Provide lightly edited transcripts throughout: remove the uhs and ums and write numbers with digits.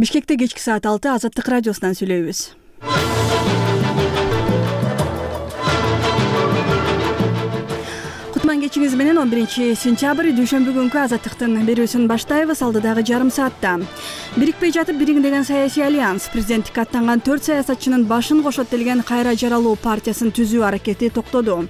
Бишкекте кечки саат 6 Азаттык радиосунан сүйлөйбүз. Кутман кечиңиз менен 11-сентябрь дүйшөмбү күнкү Азаттыктын берүүсүн баштайбыз. Алдыдагы жарым саатта бирикпей жатып бириң деген саясий альянс президенттикке аттанган 4 саясатчынын башын кошот делген Кайра жаралуу партиясын түзүү аракети токтоду.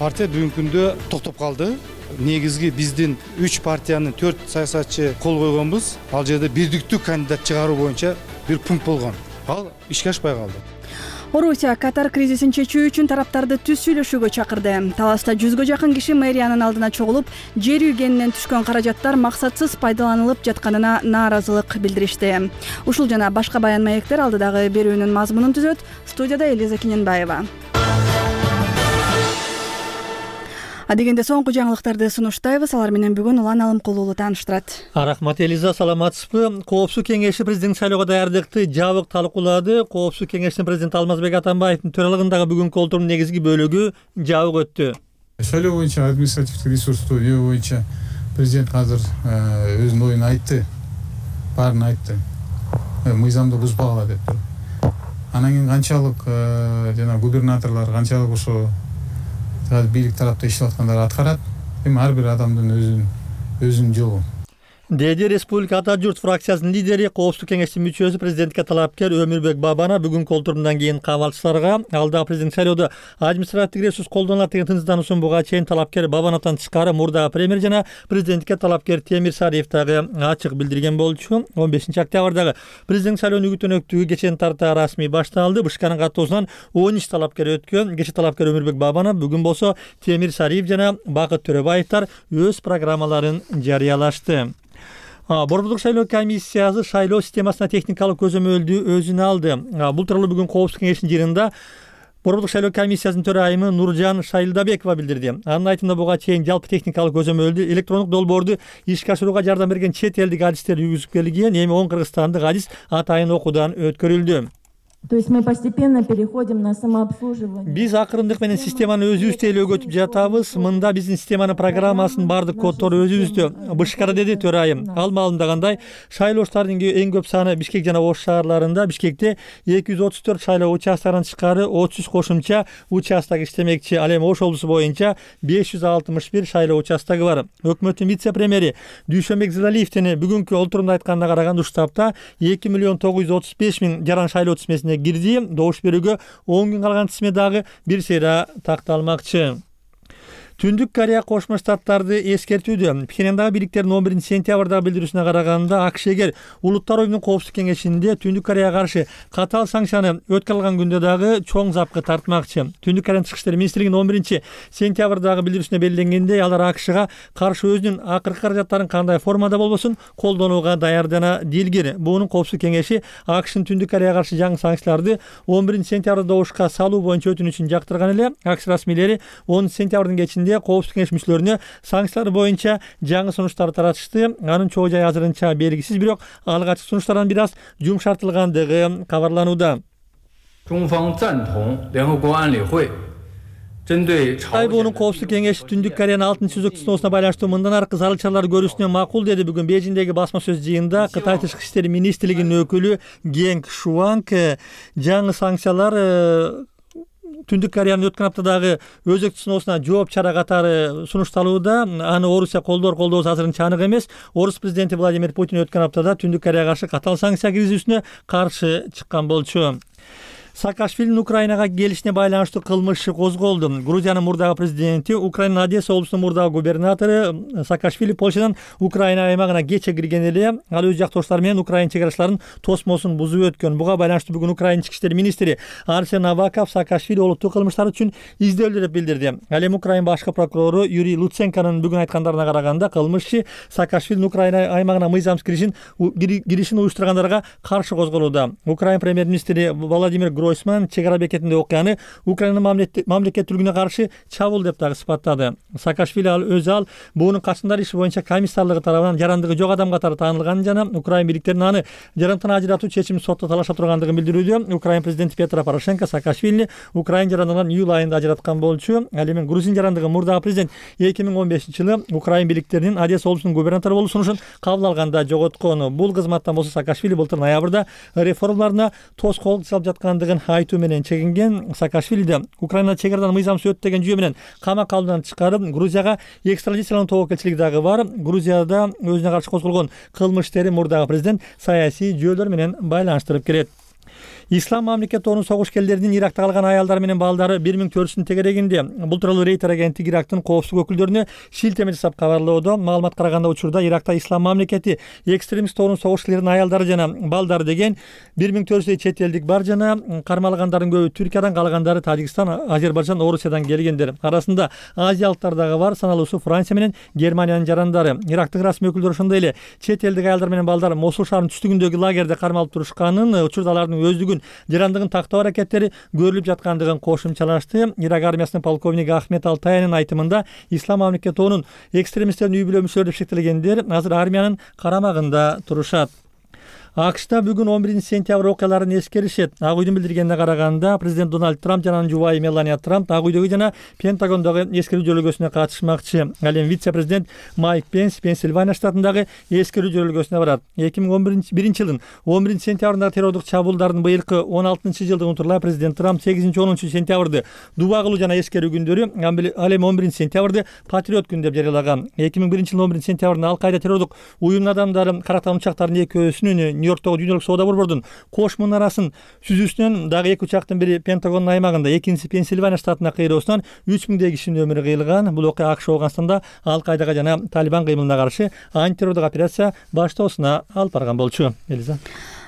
Партия бүгүнкү күндө токтоп калды. Негизги биздин 3 партиянын 4 саясатчы кол койгонбуз. Ал жерде бирдиктүү кандидат чыгаруу боюнча бир пункт болгон. Ал ишке ашпай калды. Орусия Катар кризисин чечүү үчүн тараптарды түз сүйлөшүүгө чакырды. Таласта 100гө жакын киши мэриянын алдына чогулуп, жер үйгенинен түшкөн каражаттар максатсыз пайдаланылып жатканына нааразылык билдиришти. Ушул жана башка баян маектер алдыдагы берүүнүн мазмунун түзөт. Студияда Элиза Киненбаева. Адегенде соңку жаңылыктарды сунуштайбыз. Алар менен бүгүн Улан Алымкулуулу тааныштырат. Рахмат Элиза, саламатсызбы? Коопсуздук кеңеши президент шайлоого даярдыкты жабык талкуулады. Коопсуздук кеңешинин президенти Алмазбек Атамбаевдин төралыгындагы бүгүнкү олтурумдун негизги бөлүгү жабык өттү. Шайлоо боюнча административдик ресурсту жөө боюнча президент азыр өзүнүн оюн айтты. Баарын айтты. Мыйзамды бузбагыла деп тур. Анан кийин канчалык жана губернаторлор канчалык ошо бийлик тарапта иштеп аткандар аткарат. Эми ар бир адамдын өзүнүн жолу. Деди Республика Ата журт фракциясынын лидери, Коопсуздук кеңештин мүчөсү, президентке талапкер Өмүрбек Бабана бүгүнкү олтурумдан кийин кабалчыларга алда президент шайлоодо административдик ресурс колдонулат деген тынчтануусун буга чейин талапкер Бабанатан тышкары мурдагы премьер жана президентке талапкер Темир Сариев дагы ачык билдирген болчу. 15-октябрдагы президент шайлоонун үгүт-өнөктүгү кечен тарта расмий башталды. БШКнын каттоосунан 13 талапкер өткөн. Кечээ талапкер Өмүрбек Бабана, бүгүн болсо Темир Сариев жана Бакыт Төрөбаевдер өз программаларын жарыялашты. Борбордук шайлоо комиссиясы шайлоо системасына техникалык көзөмөлдү өзүнө алды. Бул тууралуу бүгүн Коопсуздук кеңешинин жыйынында Борбордук шайлоо комиссиясынын төрайымы Нуржан Шайлдабекова билдирди. Анын айтымында буга чейин жалпы техникалык көзөмөлдү электрондук долбоорду ишке ашырууга жардам берген чет элдик адистер жүргүзүп келген. Эми 10 кыргызстандык адис атайын окуудан өткөрүлдү. То есть мы постепенно переходим на самообслуживание. Биз акырындык менен системаны өзүбүз тейлөөгө өтүп жатабыз. Мында биздин системанын программасынын бардык коддору өзүбүздө. БШКда деди төрайым. Ал маалымдагандай, шайлоочулардын эң көп саны Бишкек жана Ош шаарларында. Бишкекте 234 шайлоо участкаларынан тышкары 33 кошумча участок иштемекчи. Ал эми Ош облусу боюнча 561 шайлоо участогу бар. Өкмөттүн вице-премьери Дүйшөнбек Зылалиевдин бүгүнкү олтурумда айтканына караганда ушул таапта 2.935.000 жаран шайлоо тизмесине кирди. Добуш берүүгө 10 күн калган тизме дагы бир сейра такталмакчы. Түндүк Корея Кошмо Штаттарды эскертүүдө. Пхеньяндагы бийликтердин 11-сентябрдагы билдирүүсүнө караганда, АКШ эгер Улуттар оюнунун коопсуздук кеңешинде Түндүк Кореяга каршы катаал санкцияны өткөрүп алган күндө дагы чоң запкы тартмакчы. Түндүк Кореянын Тышкы иштер министрлигинин 11-сентябрдагы билдирүүсүнө белгиленгендей, алар АКШга каршы өзүнүн акыркы каражаттарын кандай формада болбосун колдонууга даярдана дилгир. Буунун коопсуздук кеңеши АКШнын Түндүк Кореяга каршы жаңы санкцияларды 11-сентябрда добушка салуу боюнча өтүнүчүн жактырган эле. АКШ расмийлери 10-сентябрдын кечинде Коопсуздук кеңеш мүчөлөрүнө санкциялар боюнча жаңы сунуштар таратышты. Анын чоо жайы азырынча белгисиз, бирок алгачкы сунуштардан бир аз жумшартылгандыгы кабарланууда. Тайбунун коопсуздук кеңеши Түндүк Кореянын 6-сүзөк сыноосуна байланыштуу мындан аркы зарыл чаралар көрүүсүнө макул деди. Бүгүн Бейжиңдеги басма сөз жыйынында Кытай Тышкы иштер министрлигинин өкүлү Генг Шуанг жаңы санкциялар Түндүк Кореянын өткөн аптадагы өзөктүү сыноосуна жооп чара катары сунушталууда. Аны Орусия колдообуз азырынча анык эмес. Орус президенти Владимир Путин өткөн аптада Түндүк Кореяга каршы катаал санкция киргизүүсүнө каршы чыккан болчу. Саакашвилинин Украинага келишине байланыштуу кылмыш иши козголду. Грузиянын мурдагы президенти, Украинанын Одесса облусунун мурдагы губернатору Саакашвили Польшадан Украина аймагына кече кирген эле. Ал өз жактоштары менен Украина чек арачыларынын тосмосун бузуп өткөн. Буга байланыштуу бүгүн Украина ички иштер министри Арсен Аваков Саакашвили олуттуу кылмыштар үчүн изделүүдө деп билдирди. Ал эми Украина башкы прокурору Юрий Луценконун бүгүн айткандарына караганда, кылмыш иши Саакашвилинин Украина аймагына мыйзамсыз киришин уюштургандарга каршы козголууда. Украина премьер-министри Владимир Гройсман чек ара бекетинде окуяны Украина мамлекеттүүлүгүнө каршы чабуул деп дагы сыпаттады. Саакашвили өзү буунун качкындар иши боюнча комиссарлыгы тарабынан жарандыгы жок адам катары таанылганын жана Украина бийликтеринин аны жарандыктан ажыратуу чечимин сотто талаша тургандыгын билдирүүдө. Украина президенти Петро Порошенко Саакашвилини Украина жарандыгынан июль айында ажыраткан болчу. Ал эми Грузин жарандыгы мурдагы президент 2015-жылы Украина бийликтеринин Одесса облусунун губернатору болуу сунушун кабыл алганда жоготкон. Бул кызматтан болсо Саакашвили былтыр ноябрда реформаларына тоскоолдук жасалып жаткандыгын айтуу менен чегинген. Саакашвилиди Украина чек арадан мыйзамсыз өтүп деген жүйө менен камакка алуудан тышкары Грузияга экстрадициялануу тобокелчилиги дагы бар. Грузияда өзүнө каршы козголгон кылмыш иштери мурдагы президент саясий жүйөлөр менен байланыштырып келет. Ислам мамлекетинин согушкерлеринин Иракта калган аялдар менен балдары 1400 тегерегинде. Бул тууралуу Рейтер агенттиги Ирактын коопсуздук өкүлдөрүнө шилтеме жасап кабарлоодо. Маалымат караганда учурда Иракта Ислам мамлекети экстремист тобунун согушкерлеринин аялдары жана балдары деген 1400 чет элдик бар жана кармалгандардын көбү Түркиядан, калгандары Тажикстан, Азербайжан, Орусиядан келгендер. Арасында азиялыктар дагы бар, саналуусу Франция менен Германиянын жарандары. Ирактын расмий өкүлдөрү ошондой эле чет элдик аялдар менен балдар Мосул шаарынын түштүгүндөгү лагерде кармалып турушканын, учурда алардын өздүгүн жарандыгын тактоо аракеттери көрүлүп жаткандыгын кошумчалашты. Ирак армиясынын полковниги Ахмед Алтаянын айтымында Ислам мамлекетинин экстремисттердин үй бүлө мүчөлөрү деп шектелгендер азыр армиянын карамагында турушат. АКШта бүгүн 11-сентябрь окуяларын эскеришет. Ак үйдүн билдиргенине караганда, президент Дональд Трамп жана анын жубайы Мелания Трамп Ак үйдөгү жана Пентагондогу эскерүү жөрөлгөсүнө катышмакчы. Ал эми вице-президент Майк Пенс Пенсильвания штатындагы эскерүү жөрөлгөсүнө барат. 2011-жылдын 11-сентябрындагы террордук чабуулдардын быйылкы 16-жылдыгын унутурлай президент Трамп 8-10 сентябрды дуба кылуу жана эскерүү күндөрү, ал эми 11-сентябрды Патриот күнү деп жарыялаган. 2001-жылдын 11-сентябрында Ал-Кайда террордук уюмунун адамдары карактан учактардын экөөсүнүн Нью-Йорктогу дүйнөлүк соода борбордун кош мунарасын сүзүүсүнөн дагы эки учактын бири Пентагондун аймагында, экинчиси Пенсильвания штатына кыйроосунан 3000 кишинин өмүрү кыйылган. Бул окуя АКШ Афганстанда Ал-Кайдага жана Талибан кыймылына каршы антитеррордук операция баштоосуна алып барган болчу. Элиза.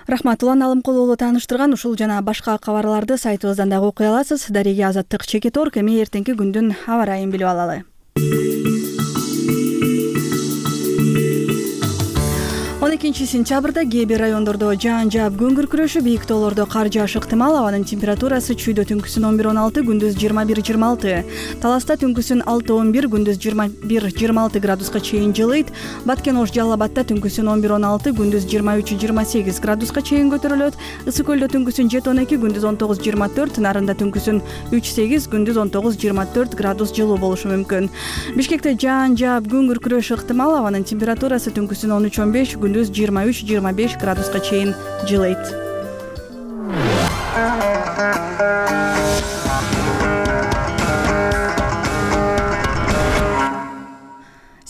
Рахмат. Улан Алымкулуулу тааныштырган ушул жана башка кабарларды сайтыбыздан дагы окуй аласыз. Дареги Азаттык Чекиторг. Эми эртеңки күндүн аба ырайын билип алалы. 12-сентябрда кээ бир райондордо жаан жаап күн күркүрөшү, бийик тоолордо кар жаашы ыктымал. Абанын температурасы чүйдө түнкүсүн 11-16, күндүз 21-26. Таласта түнкүсүн 6-11, күндүз 21-26 градуска чейин жылыйт. Баткен Ош Жалал Абадта түнкүсүн 11-16, күндүз 23-28 градуска чейин көтөрүлөт. Ысык Көлдө түнкүсүн 7-12, күндүз 19-24, Нарында түнкүсүн 3-8, күндүз 19-24 градус жылуу болушу мүмкүн. Бишкекте жаан жаап күн күркүрөшү ыктымал. Абанын температурасы түнкүсүн 13-15, күндүз 23-25 градуска чейин жылыйт.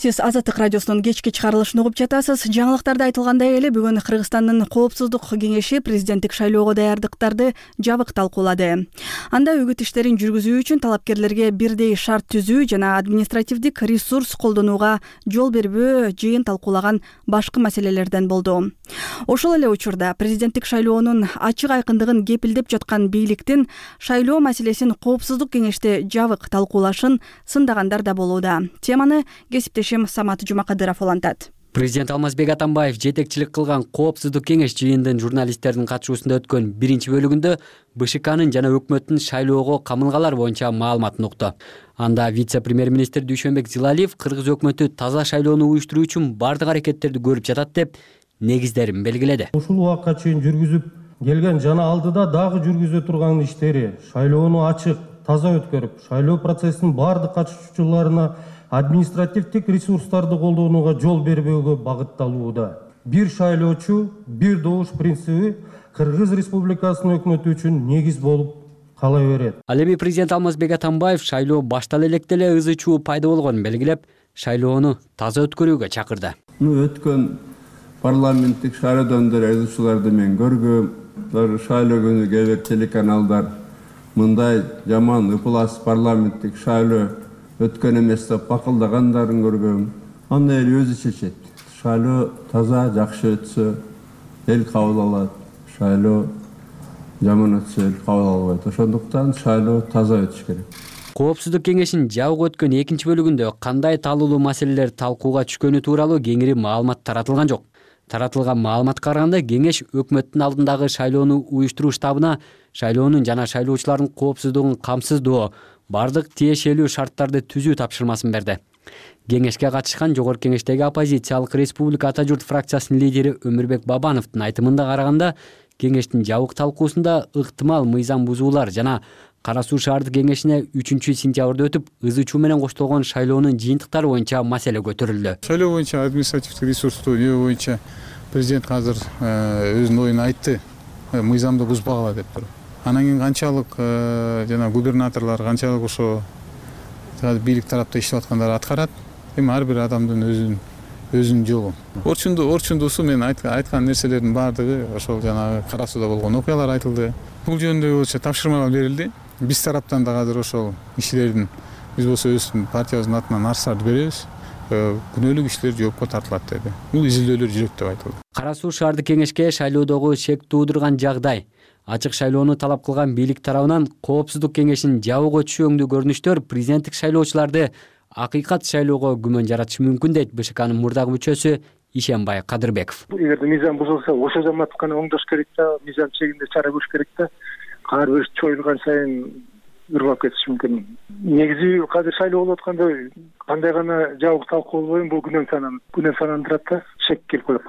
Сиз Азаттык радиосунун кечки чыгарылышын угуп жатасыз. Жаңылыктарда айтылгандай эле бүгүн Кыргызстандын коопсуздук кеңеши президенттик шайлоого даярдыктарды жабык талкуулады. Анда үгүт иштерин жүргүзүү үчүн талапкерлерге бирдей шарт түзүү жана административдик ресурс колдонууга жол бербөө жыйын талкуулаган башкы маселелерден болду. Ошол эле учурда президенттик шайлоонун ачык айкындыгын кепилдеп жаткан бийликтин шайлоо маселесин коопсуздук кеңеште жабык талкуулашын сындагандар да болууда. Теманы кесиптешим Самат Жумакадыров улантат. Президент Алмазбек Атамбаев жетекчилик кылган коопсуздук кеңеш жыйындын журналисттердин катышуусунда өткөн биринчи бөлүгүндө БШКнын жана өкмөттүн шайлоого камылгалар боюнча маалыматын укту. Анда вице-премьер-министр Дүйшөнбек Зилалиев кыргыз өкмөтү таза шайлоону уюштуруу үчүн бардык аракеттерди көрүп жатат деп негиздерин белгиледи. Ушул убакка чейин жүргүзүп келген жана алдыда дагы жүргүзө турган иштери шайлоону ачык, таза өткөрүп, шайлоо процессинин бардык катышуучуларына административдик ресурстарды колдонууга жол бербөөгө багытталууда. Бир шайлоочу, бир добуш принциби Кыргыз Республикасынын өкмөтү үчүн негиз болуп кала берет. Ал эми президент Алмазбек Атамбаев шайлоо баштала электе эле ызы чуу пайда болгонун белгилеп, шайлоону таза өткөрүүгө чакырды. Өткөн парламенттик шайлоодон ызы чууларды мен көргөм. Шайлоо күнү кээ бир телеканалдар мындай жаман ыплас парламенттик шайлоо өткөн эмес деп бакылдагандарын көргөм. Аны эл өзү чечет. Шайлоо таза, жакшы өтсө эл кабыл алат. Шайлоо жаман өтсө эл кабыл албайт. Ошондуктан шайлоо таза өтүш керек. Коопсуздук кеңешин жабык өткөн экинчи бөлүгүндө кандай талуулуу маселелер талкууга түшкөнү тууралуу кеңири маалымат таратылган жок. Таратылган маалыматка караганда кеңеш өкмөттүн алдындагы шайлоону уюштуруу штабына шайлоонун жана шайлоочулардын коопсуздугун камсыздоо, бардык тиешелүү шарттарды түзүү тапшырмасын берди. Кеңешке катышкан Жогорку Кеңештеги оппозициялык Республика Ата журт фракциясынын лидери Өмүрбек Бабановдун айтымында караганда, кеңештин жабык талкуусунда ыктымал мыйзам бузуулар жана Кара Суу шаардык кеңешине 3-сентябрда өтүп, ызы-чуу менен коштолгон шайлоонун жыйынтыктары боюнча маселе көтөрүлдү. Шайлоо боюнча административдик ресурсту боюнча президент азыр өзүнүн оюн айтты, мыйзамды бузбагыла деп туруп. Анан кийин канчалык жана губернаторлор канчалык ошо бийлик тарапта иштеп аткандар аткарат. Эми ар бир адамдын өзүнүн жолу. Орчундусу мен айткан нерселердин баардыгы ошол жанагы Кара Сууда болгон окуялар айтылды. Бул жөнүндө болчу тапшырмалар берилди. Биз тараптан да азыр ошол иштердин биз болсо өздүн партиябыздын атынан арыздарды беребиз. Күнөөлүк иштер жоопко тартылат деди. Бул изилдөөлөр жүрөт деп айтылды. Кара Суу шаардык кеңешке шайлоодогу шек туудурган жагдай, ачык шайлоону талап кылган бийлик тарабынан коопсуздук кеңешин жабууга түшөңдүү көрүнүштөр президенттик шайлоочуларды акыйкат шайлоого күмөн жаратышы мүмкүн дейт БШКнын мурдагы мүчөсү Ишенбай Кадырбеков. Эгерде мыйзам бузулса, ошо замат гана оңдош керек да, мыйзам чегинде чара көрүш керек да. Ар бир чоюлган сайын ыргап кетиши мүмкүн. Негизи азыр шайлоо болуп атканда кандай гана жабык талкуу болбойм, бул күнөө санандырат да, шек келип коет.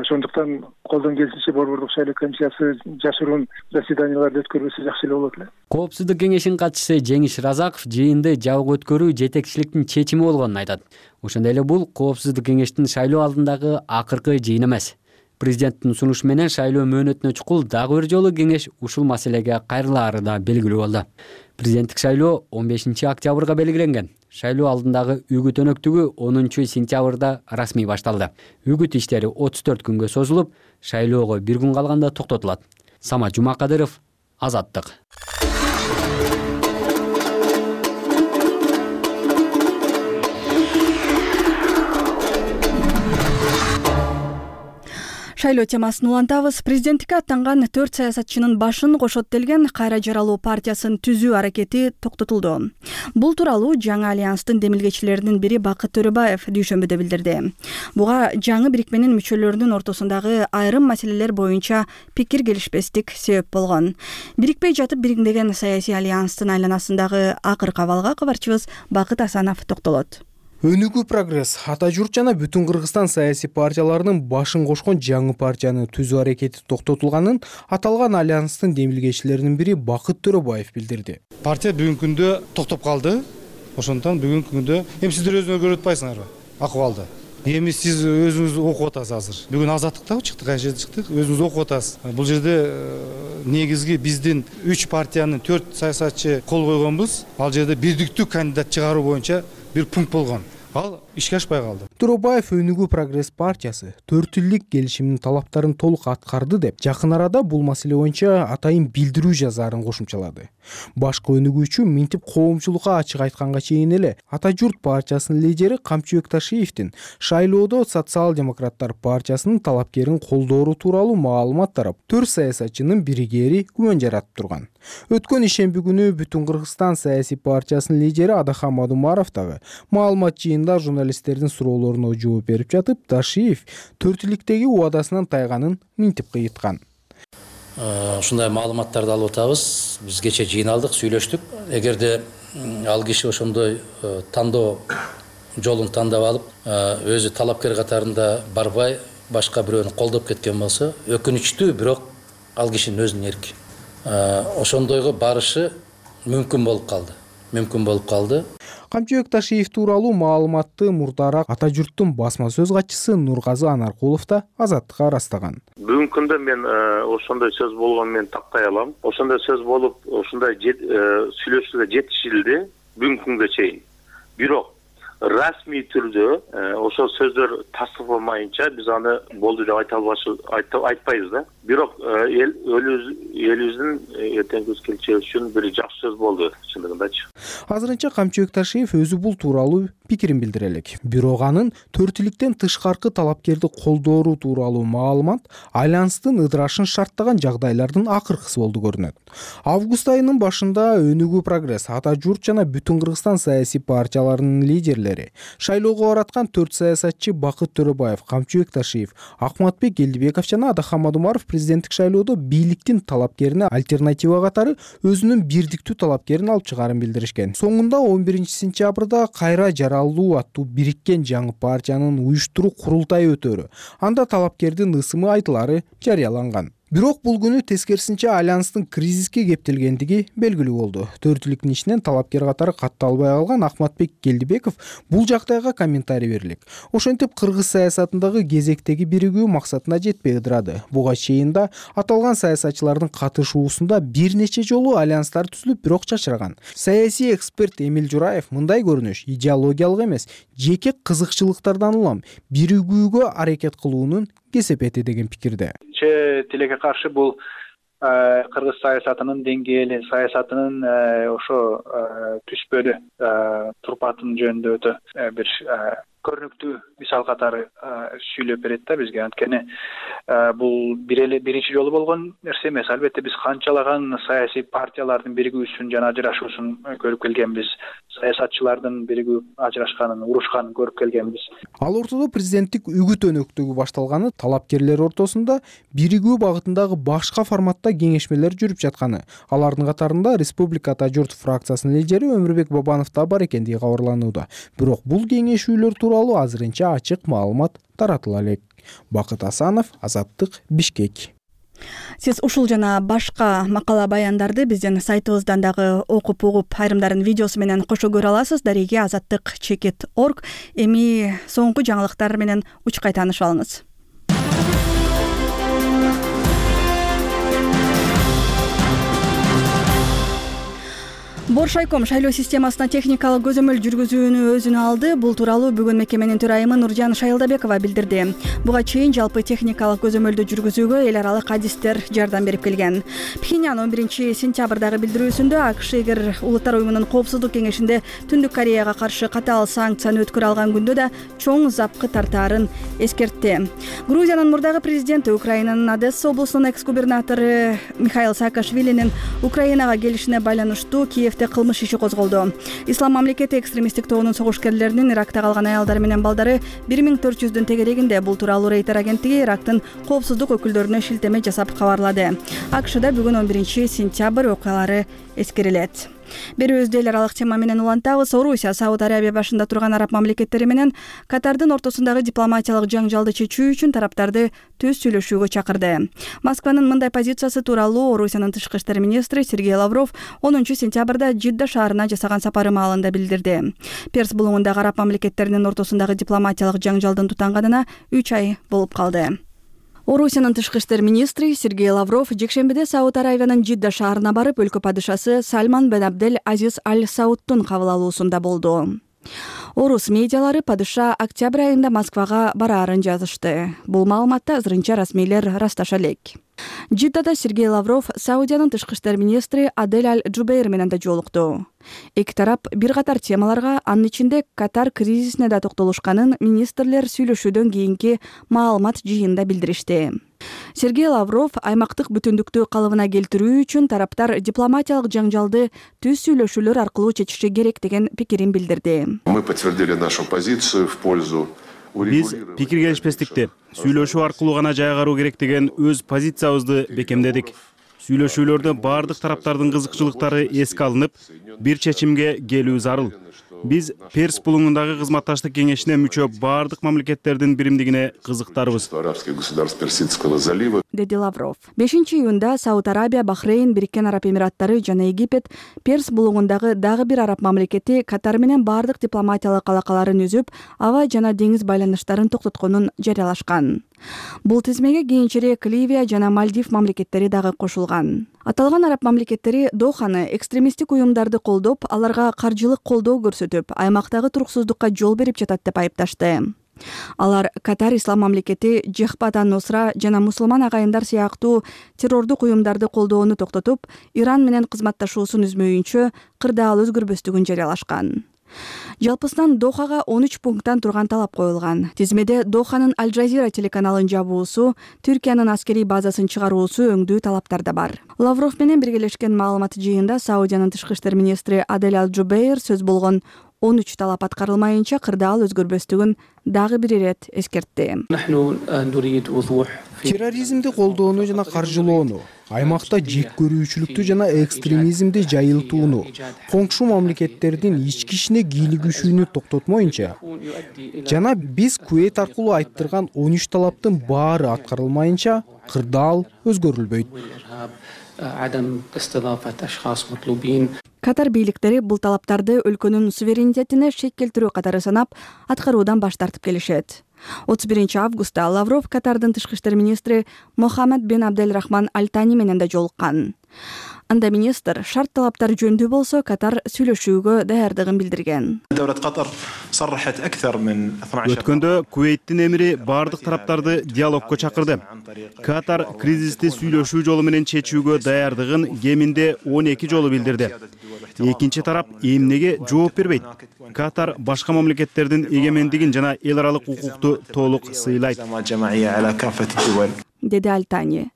Ошондуктан колдон келишинче Борбордук шайлоо комиссиясы жашыруун заседанияларды өткөрбөсө жакшы эле болот эле. Коопсуздук кеңешинин катчысы Жеңиш Разаков жыйынды жабык өткөрүү жетекчиликтин чечими болгонун айтат. Ошондой эле бул коопсуздук кеңештин шайлоо алдындагы акыркы жыйын эмес. Президенттин сунушу менен шайлоо мөөнөтүнө чукул дагы бир жолу кеңеш ушул маселеге кайрылаары да белгилүү болду. Президенттик шайлоо 15 октябрга белгиленген. Шайлоо алдындагы үгүт өнөктүгү 10 сентябрда расмий башталды. Үгүт иштери 34 күнгө созулуп, шайлоого 1 күн калганда токтотулат. Самат Жумакадыров, Азаттык. Шайлоо темасын улантабыз. Президенттикке аттанган 4 саясатчынын башын кошот делген Кайра жаралуу партиясын түзүү аракети токтотулду. Бул тууралуу жаңы альянстын демилгечилеринин бири Бакыт Төрөбаев дүйшөмбүдө билдирди. Буга жаңы бирикменин мүчөлөрүнүн ортосундагы айрым маселелер боюнча пикир келишпестик себеп болгон. Бирикпей жатып бириңдеген саясий альянстын айланасындагы акыркы абалга кабарчыбыз Бакыт Асанов токтолот. Өнүгүү прогресс Ата журт жана бүтүн Кыргызстан саясий партияларынын башын кошкон жаңы партияны түзүү аракети токтотулганын аталган альянстын демилгечилеринин бири Бакыт Төрөбаев билдирди. Партия бүгүнкү күндө токтоп калды. Ошондон бүгүнкү күндө эми сиздер өзүңөр көрүп атпайсыңарбы акыбалды? Эми сиз өзүңүз окуп атасыз азыр. Бүгүн Азаттыкта чыктык, кайсы жерде чыктык, өзүңүз окуп атасыз. Бул жерде негизги биздин 3 партиянын 4 саясатчы кол койгонбуз. Ал жерде бирдиктүү кандидат чыгаруу боюнча бир пункт болгон. Ал ишке ашпай калды. Төрөбаев Өнүгүү прогресс партиясы 4 тилдик келишимдин талаптарын толук аткарды деп жакын арада бул маселе боюнча атайын билдирүү жазаарын кошумчалады. Башкы өнүгүүчү минтип коомчулукка ачык айтканга чейин эле Ата журт партиясынын лидери Камчыбек Ташиевдин шайлоодо Социал-демократтар партиясынын талапкерин колдоору тууралуу маалымат тарап 4 саясатчынын биригери күмөн жаратып турган. Өткөн ишемби күнү бүтүн Кыргызстан саясий партиясынын лидери Адахан Мадумаров дагы маалымат жыйында журналисттердин суроолоруна жооп берип жатып, Ташиев 4 тиликтеги убадасынан тайганын минтип кыйыткан. Ушундай маалыматтарды алып атабыз. Биз кече жыйналдык, сүйлөштүк. Эгерде ал киши ошондой тандоо жолун тандап алып, өзү талапкер катарында барбай, башка бирөөнү колдоп кеткен болсо, өкүнүчтүү, бирок ал кишинин өзүнүн эрки. Ошондойго барышы мүмкүн болуп калды. Камчыбек Ташиев тууралуу маалыматты мурдараак Ата журттун басма сөз катчысы Нургазы Анаркулов да Азаттыкка ырастаган. Бүгүнкү күндө мен ошондой сөз болгонун мен тактай алам. Ошондой сөз болуп, ошондой сүйлөшүүгө жетишилди бүгүнкү күнгө чейин. Бирок расмий түрдө ошол сөздөр тастыкталмайынча биз аны болду деп айтпайбыз да. Бирок элибиздин эртеңки келечеги үчүн бир жакшы сөз болду чындыгындачы. Азырынча Камчыбек Ташиев өзү бул тууралуу пикирин билдире элек. Бирок анын 4 тиликтен тышкаркы талапкерди колдоору тууралуу маалымат альянстын ыдырашын шарттаган жагдайлардын акыркысы болду көрүнөт. Август айынын башында Өнүгүү прогресс Ата журт жана бүтүн Кыргызстан саясий партияларынын лидерлери мамилелери. Шайлоого бараткан 4 саясатчы Бакыт Төрөбаев, Камчыбек Ташиев, Акматбек Келдибеков жана Адахамад Умаров президенттик шайлоодо бийликтин талапкерине альтернатива катары өзүнүн бирдиктүү талапкерин алып чыгаарын билдиришкен. Соңунда 11-сентябрда кайра жаралуу аттуу бириккен жаңы партиянын уюштуруу курултайы өтөрү. Анда талапкердин ысымы айтылары жарыяланган. Бирок бул күнү тескерисинче альянстын кризиске кептелгендиги белгилүү болду. Төртүлүктүн ичинен талапкер катары катталбай калган Акматбек Келдибеков бул жагдайга комментарий бергилек. Ошентип кыргыз саясатындагы кезектеги биригүү максатына жетпей ыдырады. Буга чейин да аталган саясатчылардын катышуусунда бир нече жолу альянстар түзүлүп, бирок чачыраган. Саясий эксперт Эмил Жураев мындай көрүнүш идеологиялык эмес, жеке кызыкчылыктардан улам биригүүгө аракет кылуунун кесепети деген пикирде. Тилекке каршы бул кыргыз саясатынын деңгээли, саясатынын ошо түспөлү турпатынын жөнүндө өтө бир көрүнүктүү мисал катары сүйлөп берет да бизге. Анткени бул биринчи жолу болгон нерсе эмес. Албетте биз канчалаган саясий партиялардын биригүүсүн жана ажырашуусун көрүп келгенбиз. Саясатчылардын биригип ажырашканын, урушканын көрүп келгенбиз. Ал ортодо президенттик үгүт өнөктүгү башталганы, талапкерлер ортосунда биригүү багытындагы башка форматта кеңешмелер жүрүп жатканы. Алардын катарында Республика Ата журт фракциясынын лидери Өмүрбек Бабанов да бар экендиги кабарланууда. Бирок бул кеңешүүлөр тууралуу азырынча ачык маалымат таратыла элек. Бакыт Асанов, Азаттык, Бишкек. Сиз ушул жана башка макала баяндарды биздин сайтыбыздан дагы окуп угуп, айрымдарын видеосу менен кошо көрө аласыз. Дареги azattik.org. Эми соңку жаңылыктар менен учкай таанышып алыңыз. Боршайком шайлоо системасына техникалык көзөмөл жүргүзүүнү өзүнө алды. Бул тууралуу бүгүн мекеменин төрайымы Нуржан Шайылдабекова билдирди. Буга чейин жалпы техникалык көзөмөлдү жүргүзүүгө эл аралык адистер жардам берип келген. Пхеньян 11-сентябрдагы билдирүүсүндө АКШ эгер Улуттар уюмунун коопсуздук кеңешинде Түндүк Кореяга каршы катаал санкцияны өткөрө алган күндө да чоң запкы тартаарын эскертти. Грузиянын мурдагы президенти, Украинанын Одесса облусунун экс-губернатору Михаил Саакашвилинин Украинага келишине байланыштуу Киевде кылмыш иши козголду. Ислам мамлекети экстремисттик тобунун согушкерлеринин Иракта калган аялдары менен балдары 1400-дүн тегерегинде. Бул тууралуу Рейтер агенттиги Ирактын коопсуздук өкүлдөрүнө шилтеме жасап кабарлады. АКШда бүгүн 11-сентябрь окуялары эскерилет. Берүүбүздү эл аралык тема менен улантабыз. Орусия Сауд Арабия башында турган араб мамлекеттери менен Катардын ортосундагы дипломатиялык жаңжалды чечүү үчүн тараптарды түз сүйлөшүүгө чакырды. Москванын мындай позициясы тууралуу Орусиянын тышкы иштер министри Сергей Лавров 10-сентябрда Жидда шаарына жасаган сапары маалында билдирди. Перс булуңундагы араб мамлекеттеринин ортосундагы дипломатиялык жаңжалдын тутанганына 3 ай болуп калды. Орусиянын тышкы иштер министри Сергей Лавров жекшембиде Сауд Аравиянын Жидда шаарына барып, өлкө падышасы Сальман бен Абдель Азиз Аль Саудтун кабыл алуусунда болду. Орус медиалары падыша октябрь айында Москвага бараарын жазышты. Бул маалыматты азырынча расмийлер расташа элек. Жиддада Сергей Лавров Саудиянын тышкы иштер министри Адель Аль Джубейр менен да жолукту. Эки тарап бир катар темаларга, анын ичинде Катар кризисине да токтолушканын министрлер сүйлөшүүдөн кийинки маалымат жыйынында билдиришти. Сергей Лавров аймактык бүтүндүктү калыбына келтирүү үчүн тараптар дипломатиялык жаңжалды түз сүйлөшүүлөр аркылуу чечиши керек деген пикирин билдирди. Мы подтвердили нашу позицию в пользу. Биз пикир келишпестикти сүйлөшүү аркылуу гана жайгаруу керек деген өз позициябызды бекемдедик. Сүйлөшүүлөрдө бардык тараптардын кызыкчылыктары эске алынып, бир чечимге келүү зарыл. Биз Перс булуңундагы кызматташтык кеңешине мүчө бардык мамлекеттердин биримдигине кызыктарбыз, деди Лавров. 5-июнда Сауд Арабия, Бахрейн, Бириккен Араб Эмираттары жана Египет Перс булуңундагы дагы бир араб мамлекети Катар менен бардык дипломатиялык алакаларын үзүп, аба жана деңиз байланыштарын токтотконун жарыялашкан. Бул тизмеге кийинчерээк Ливия жана Мальдив мамлекеттери дагы кошулган. Аталган араб мамлекеттери Доханы экстремисттик уюмдарды колдоп, аларга каржылык колдоо көрсөтүп, аймактагы туруксуздукка жол берип жатат деп айыпташты. Алар Катар ислам мамлекети Жехбат ан-Нусра жана мусулман агайындар сыяктуу террордук уюмдарды колдоону токтотуп, Иран менен кызматташуусун үзмөйүнчө кырдаал өзгөрбөстүгүн жарыялашкан. Жалпысынан Дохага 13 пункттан турган талап коюлган. Тизмеде Доханын Аль Джазира телеканалын жабуусу, Түркиянын аскерий базасын чыгаруусу өңдүү талаптар да бар. Лавров менен биргелешкен маалымат жыйында Саудиянын тышкы иштер министри Адель Аль Джубейр сөз болгон 13 талап аткарылмайынча кырдаал өзгөрбөстүгүн дагы бир ирет эскертти. Терроризмди колдоону жана каржылоону, аймакта жек көрүүчүлүктү жана экстремизмди жайылтууну, коңшу мамлекеттердин ички ишине кийлигишүүнү токтотмоюнча жана биз Кувейт аркылуу айттырган 13 талаптын баары аткарылмайынча кырдаал өзгөрүлбөйт. Катар бийликтери бул талаптарды өлкөнүн суверенитетине шек келтирүү катары санап, аткаруудан баш тартып келишет. 31 августта Лавров Катардын тышкы иштер министри Мохаммед бен Абделрахман Аль-Тани менен да жолуккан. Анда министр шарт талаптар жөнүндө болсо Катар сүйлөшүүгө даярдыгын билдирген. Өткөндө Кувейттин эмири бардык тараптарды диалогко чакырды. Катар кризисти сүйлөшүү жолу менен чечүүгө даярдыгын кеминде 12 жолу билдирди. Экинчи тарап эмнеге жооп бербейт? Катар башка мамлекеттердин эгемендигин жана эл аралык укукту толук сыйлайт, деди Аль-Тани.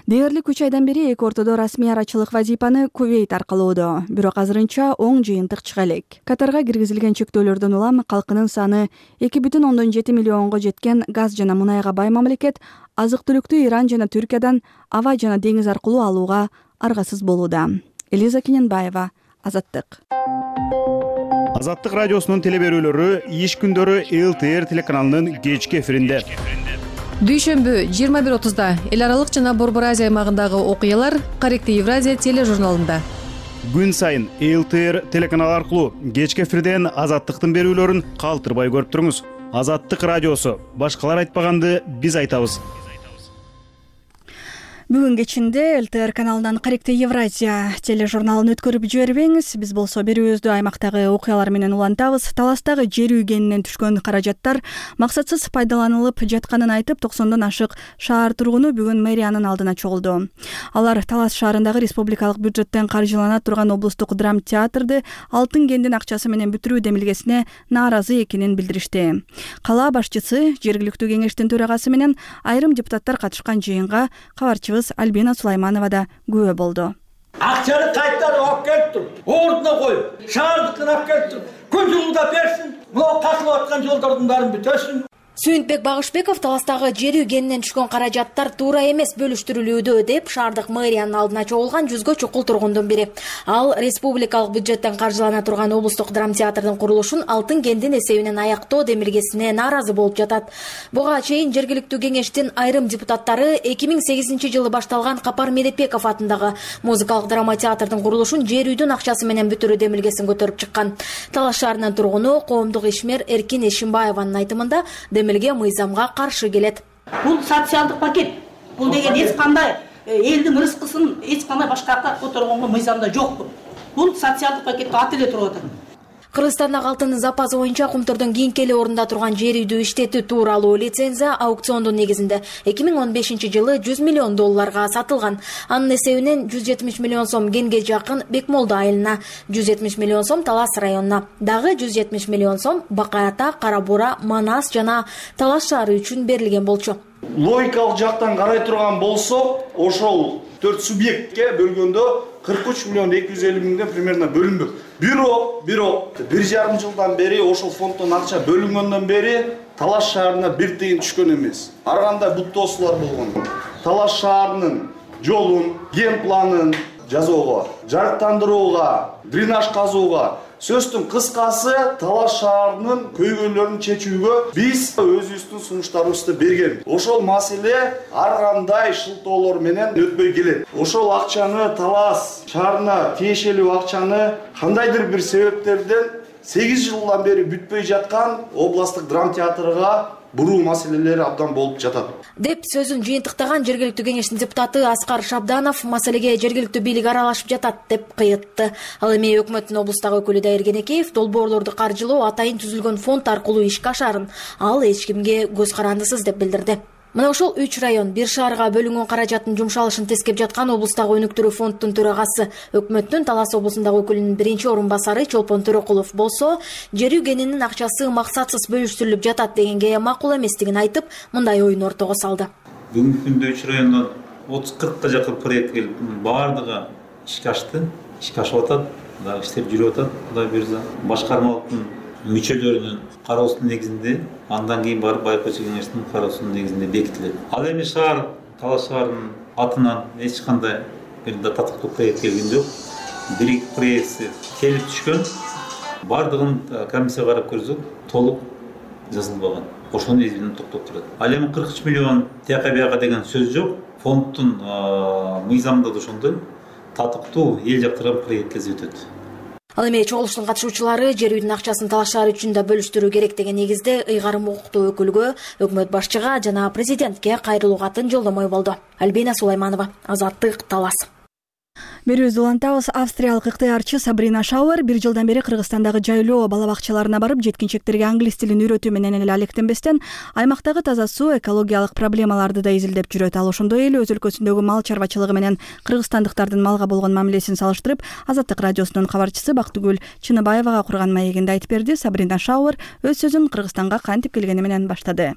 Дээрлик 3 айдан бери эки ортодо расмий арачылык вазипаны Кувейт аркылоодо, бирок азырынча оң жыйынтык чыга элек. Катарга киргизилген чектөөлөрдөн улам калкынын саны 2,7 миллионго жеткен газ жана мунайга бай мамлекет азык-түлүктү Иран жана Түркиядан аба жана деңиз аркылуу алууга аргасыз болууда. Элиза Кененбаева, Азаттык. Азаттык радиосунун телеберүүлөрү иш күндөрү ЛТР телеканалынын кечки эфиринде. Дүйшөмбү 21:30 эл аралык жана Борбор Азия аймагындагы окуялар Каректи Евразия тележурналында. Күн сайын ЛТР телеканалы аркылуу кечки эфирден Азаттыктын берүүлөрүн калтырбай көрүп туруңуз. Азаттык радиосу. Башкалар айтпаганды биз айтабыз. Бүгүн кечинде ЛТР каналынан Каректи Евразия тележурналын өткөрүп жибербеңиз. Биз болсо берүүбүздү аймактагы окуялар менен улантабыз. Таластагы жер үйгенинен түшкөн каражаттар максатсыз пайдаланылып жатканын айтып, 90дон ашык шаар тургуну бүгүн мэриянын алдына чогулду. Алар Талас шаарындагы республикалык бюджеттен каржылана турган облустук драма театрды Алтын кендин акчасы менен бүтүрүү демилгесине нааразы экенин билдиришти. Кала башчысы, жергиликтүү кеңештин төрагасы менен айрым депутаттар катышкан жыйынга кабарчыбыз Альбина Сулайманова да күбө болду. Акчаны кайттан алып келип туруп, ордуна коюп, шаардыкын алып келип туруп, күн жылында берсин, мына касылып аткан жолдордун баарын бүтөсүн. Сүйүнтбек Багышбеков Таластагы жер үйгенинен түшкөн каражаттар туура эмес бөлүштүрүлүүдө деп шаардык мэриянын алдына чогулган 100гө чукул тургундун бири. Ал республикалык бюджеттен каржылана турган облустук драма театрдын курулушун Алтын кендин эсебинен аяктоо демилгесине нааразы болуп жатат. Буга чейин жергиликтүү кеңештин айрым депутаттары 2008-жылы башталган Капар Медетбеков атындагы музыкалык драма театрдын курулушун жер үйдүн акчасы менен бүтүрүү демилгесин көтөрүп чыккан. Талас шаарынын тургуну коомдук ишмер Эркин Эшимбаеванын айтымында демилге мыйзамга каршы келет. Бул социалдык пакет. Бул деген эч кандай элдин рызкысын эч кандай башкака которгонго мыйзамда жок. Бул социалдык пакетке ат эле туруп атат. Кыргызстандагы алтындын запасы боюнча Кумтурдун кийинки эле орунда турган жер үйдү иштетүү тууралуу лицензия аукциондун негизинде 2015-жылы $100 миллион сатылган. Анын эсебинен 170 миллион сом Кенге жакын Бекмолду айылына, 170 миллион сом Талас районуна, дагы 170 миллион сом Бакай Ата, Кара Бура, Манас жана Талас шаары үчүн берилген болчу. Логикалык жактан карай турган болсо, ошол 4 субъектке бөлгөндө 43 миллион 250 миңден примерно бөлүнбөк. Бирок 1,5 жылдан бери ошол фонддон акча бөлүнгөндөн бери Талас шаарына бир тыйын түшкөн эмес. Ар кандай буттоосулар болгон. Талас шаарынын жолун, ген планын жасоого, жарыктандырууга, дренаж казууга, сөздүн кыскасы Талас шаарынын көйгөйлөрүн чечүүгө биз өзүбүздүн сунуштарыбызды берген. Ошол маселе ар кандай шылтоолор менен өтпөй келет. Ошол акчаны Талас шаарына тиешелүү акчаны кандайдыр бир себептерден 8 жылдан бери бүтпөй жаткан областтык драма театрга буруу маселелери абдан болуп жатат деп сөзүн жыйынтыктаган жергиликтүү кеңештин депутаты Аскар Шабданов маселеге жергиликтүү бийлик аралашып жатат деп кыйытты. Ал эми өкмөттүн облустагы өкүлү Дайыр Кенекеев долбоорлорду каржылоо атайын түзүлгөн фонд аркылуу ишке ашарын ал эч кимге көз карандысыз деп билдирди. Мына ошол 3 район бир шаарга бөлүнгөн каражаттын жумшалышын тескеп жаткан облустагы өнүктүрүү фонддун төрагасы, өкмөттүн Талас облусундагы өкүлүнүн биринчи орун басары Чолпон Төрөкулов болсо, жер үйгенинин акчасы максатсыз бөлүштүрүлүп жатат дегенге макул эместигин айтып, мындай оюн ортого салды. Бүгүнкү күндө 3 райондон 30-40 жакын проект келип, баардыгы ишке ашты. ишке ашып атат, дагы иштер жүрүп атат. Кудай буйрса, башкармалыктын мүчөлөрүнүн кароосунун негизинде, андан кийин барып байкоочу кеңештин кароосунун негизинде бекитилет. Ал эми шаар, Талас шаарынын атынан эч кандай бир татыктуу проект келген жок. Бир проекти келип түшкөн. Бардыгын комиссия карап көрсөк, толук жазылбаган. Ошону негизинен токтоттурат. Ал эми 43 миллион тияка бияка деген сөз жок. Фонддун мыйзамында да ошондой татыктуу эл жактырган проект өтөт. Ал эми чогулуштун катышуучулары жер үйдүн акчасын Талас шаары үчүн да бөлүштүрүү керек деген негизде ыйгарым укуктуу өкүлгө, өкмөт башчыга жана президентке кайрылуу катын жолдомой болду. Альбина Сулайманова, Азаттык, Талас. Берүүбүздү улантабыз. Австриялык ыктыярчы Сабрина Шауэр 1 жылдан бери Кыргызстандагы жайлоо бала бакчаларына барып, жеткинчектерге англис тилин үйрөтүү менен эле алектенбестен, аймактагы таза суу, экологиялык проблемаларды да изилдеп жүрөт. Ал ошондой эле өз өлкөсүндөгү мал чарбачылыгы менен кыргызстандыктардын малга болгон мамилесин салыштырып, Азаттык радиосунун кабарчысы Бактыгүл Чыныбаевага курган маегинде айтып берди. Сабрина Шауэр өз сөзүн Кыргызстанга кантип келгени менен баштады.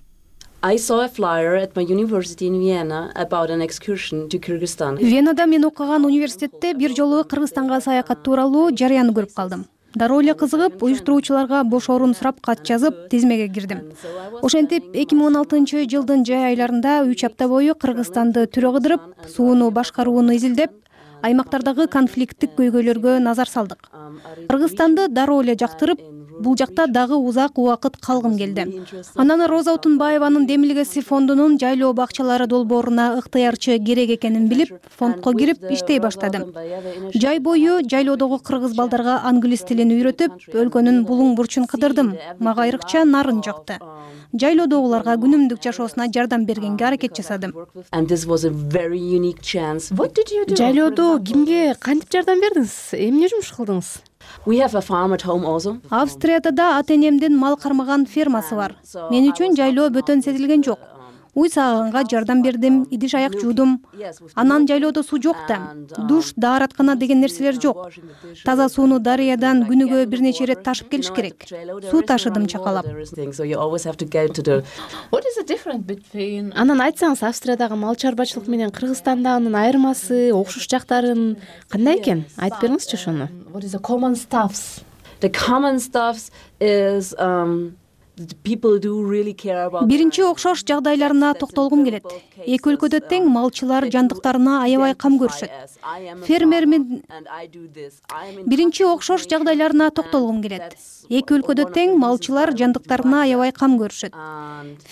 I saw a flyer at my university in Vienna about an excursion to Kyrgyzstan. Венада мен окуган университетте бир жолу Кыргызстанга саякат тууралуу жарыяны көрүп калдым. Дароо эле кызыгып, уюштуруучуларга бош орун сурап кат жазып, тизмеге кирдим. Ошентип 2016-жылдын жай айларында 3 апта бою Кыргызстанды түрө кыдырып, сууну башкарууну изилдеп, аймактардагы конфликттик көйгөйлөргө назар салдык. Кыргызстанды дароо эле жактырып, бул жакта дагы узак убакыт калгым келди. Анан Роза Утунбаеванын Демилгеси фондунун жайлоо бакчалары долбооруна ыктыярчы керек экенин билип, фондко кирип иштей баштадым. Жай бою жайлоодогу кыргыз балдарга англис тилин үйрөтүп, өлкөнүн булуң бурчун кыдырдым. Мага айрыкча нарын жакты. Жайлоодогуларга күнүмдүк жашоосуна жардам бергенге аракет жасадым. Жайлоодо кимге кантип жардам бердиңиз? Эмне жумуш кылдыңыз? Австрияда да ата-энемдин мал кармаган фермасы бар. Мен үчүн жайлоо бөтөн сезилген жок. Уй сааганга жардам бердим, идиш аяк жуудум. Анан жайлоодо суу жок да. Душ, даараткана деген нерселер жок. Таза сууну дарыядан күнүгө бир нече ирет ташып келиш керек. Суу ташыдым чакалап. Анан айтсаңыз, Австриядагы мал чарбачылык менен Кыргызстандагынын айырмасы, окшош жактарын кандай экен? Айтып бериңизчи ошону. The common stuff is Биринчи окшош жагдайларына токтолгум келет. Эки өлкөдө тең малчылар жандыктарына аябай кам көрүшөт. Биринчи окшош жагдайларына токтолгум келет. Эки өлкөдө тең малчылар жандыктарына аябай кам көрүшөт.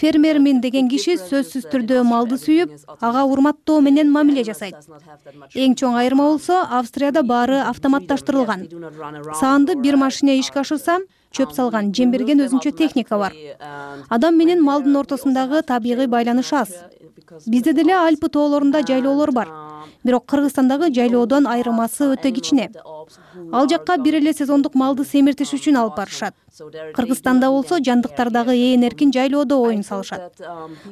Фермермин деген киши сөзсүз түрдө малды сүйүп, ага урматтоо менен мамиле жасайт. Эң чоң айырма болсо, Австрияда баары автоматташтырылган. Саанды бир машина ишке ашырса, чөп салган, жем берген өзүнчө техника бар. Адам менен малдын ортосундагы табигый байланыш аз. Бизде деле Альпы тоолорунда жайлоолор бар. Бирок Кыргызстандагы жайлоодон айырмасы өтө кичине. Ал жакка бир эле сезондук малды семиртиш үчүн алып барышат. Кыргызстанда болсо жандыктардагы ээн эркин жайлоодо оюн салышат.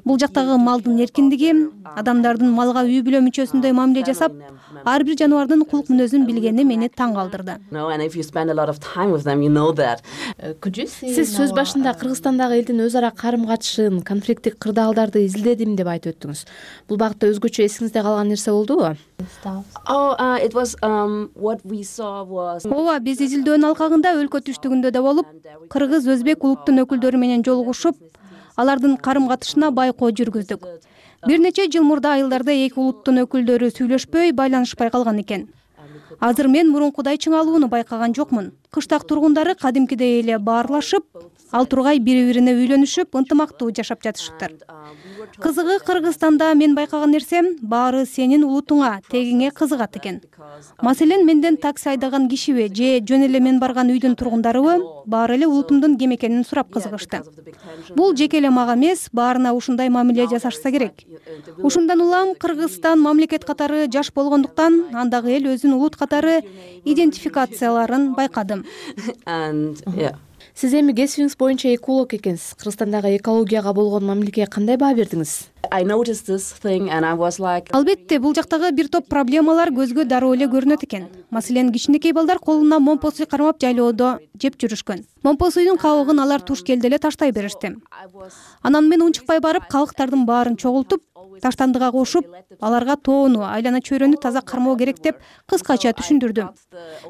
Бул жактагы малдын эркиндиги, адамдардын малга үй бүлө мүчөсүндөй мамиле жасап, ар бир жаныбардын кулук мүнөзүн билгени мени таң калтырды. Сиз сөз башында Кыргызстандагы элдин өз ара карым катышын, конфликттик кырдаалдарды изилдедим деп айтып өттүңүз. Бул багытта өзгөчө эсиңизде калган нерсе болдубу? Ооба, биз изилдөөнүн алкагында өлкө түштүгүндө да болуп, кыргыз, өзбек улуттун өкүлдөрү менен жолугушуп, алардын карым катышына байкоо жүргүздүк. Бир нече жыл мурда айылдарда эки улуттун өкүлдөрү сүйлөшпөй, байланышпай калган экен. Азыр мен мурункудай чыңалууну байкаган жокмун. Кыштак тургундары кадимкидей эле баарлашып, ал тургай бири-бирине үйлөнүшүп, ынтымактуу жашап жатышыптыр. Кызыгы, Кыргызстанда мен байкаган нерсем баары сенин улутуңа, тегиңе кызыгат экен. Маселен, менден такси айдаган кишиби же жөн эле мен барган үйдүн тургундарыбы баары эле улутумдун ким экенин сурап кызыгышты. Бул жеке эле мага эмес, баарына ушундай мамиле жасашса керек. Ушундан улам Кыргызстан мамлекет катары жаш болгондуктан, андагы эл өзүн улут катары идентификацияларын байкадым. Сиз эми кесибиңиз боюнча эколог экенсиз. Кыргызстандагы экологияга болгон мамилеге кандай баа бердиңиз? Албетте, бул жактагы бир топ проблемалар көзгө дароо эле көрүнөт экен. Маселен, кичинекей балдар колуна момпо суй кармап жайлоодо жеп жүрүшкөн. Момпо суйдун кабыгын алар туш келде эле таштай беришти. Анан мен унчукпай барып, калктардын баарын чогултуп, таштандыга кошуп, аларга тоону, айлана чөйрөнү таза кармоо керек деп кыскача түшүндүрдүм.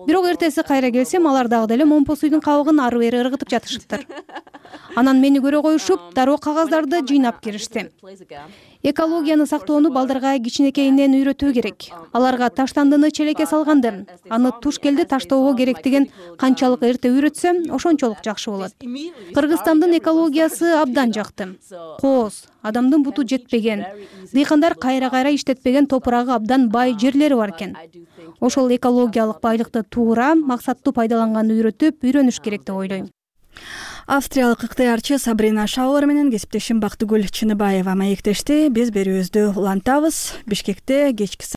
Бирок эртеси кайра келсем, алар дагы деле момпо суйдун кабыгын ары бери ыргытып жатышыптыр. Анан мени көрө коюшуп, дароо кагаздарды жыйнап киришти. Экологияны сактоону балдарга кичинекейинен үйрөтүү керек. Аларга таштандыны челекке салганды, аны туш келди таштоого керектигин канчалык эрте үйрөтсөм, ошончолук жакшы болот. Кыргызстандын экологиясы абдан жакты. Кооз, адамдын буту жетпеген, дыйкандар кайра иштетпеген топурагы абдан бай жерлери бар экен. Ошол экологиялык байлыкты туура, максаттуу пайдаланганды үйрөнүш керек деп ойлойм. Австриялык ыктыярчы Сабрина Шауэр менен кесиптешим Бактыгүл Чыныбаева маектешти. Биз берүүбүздү улантабыз. Бишкекте кечки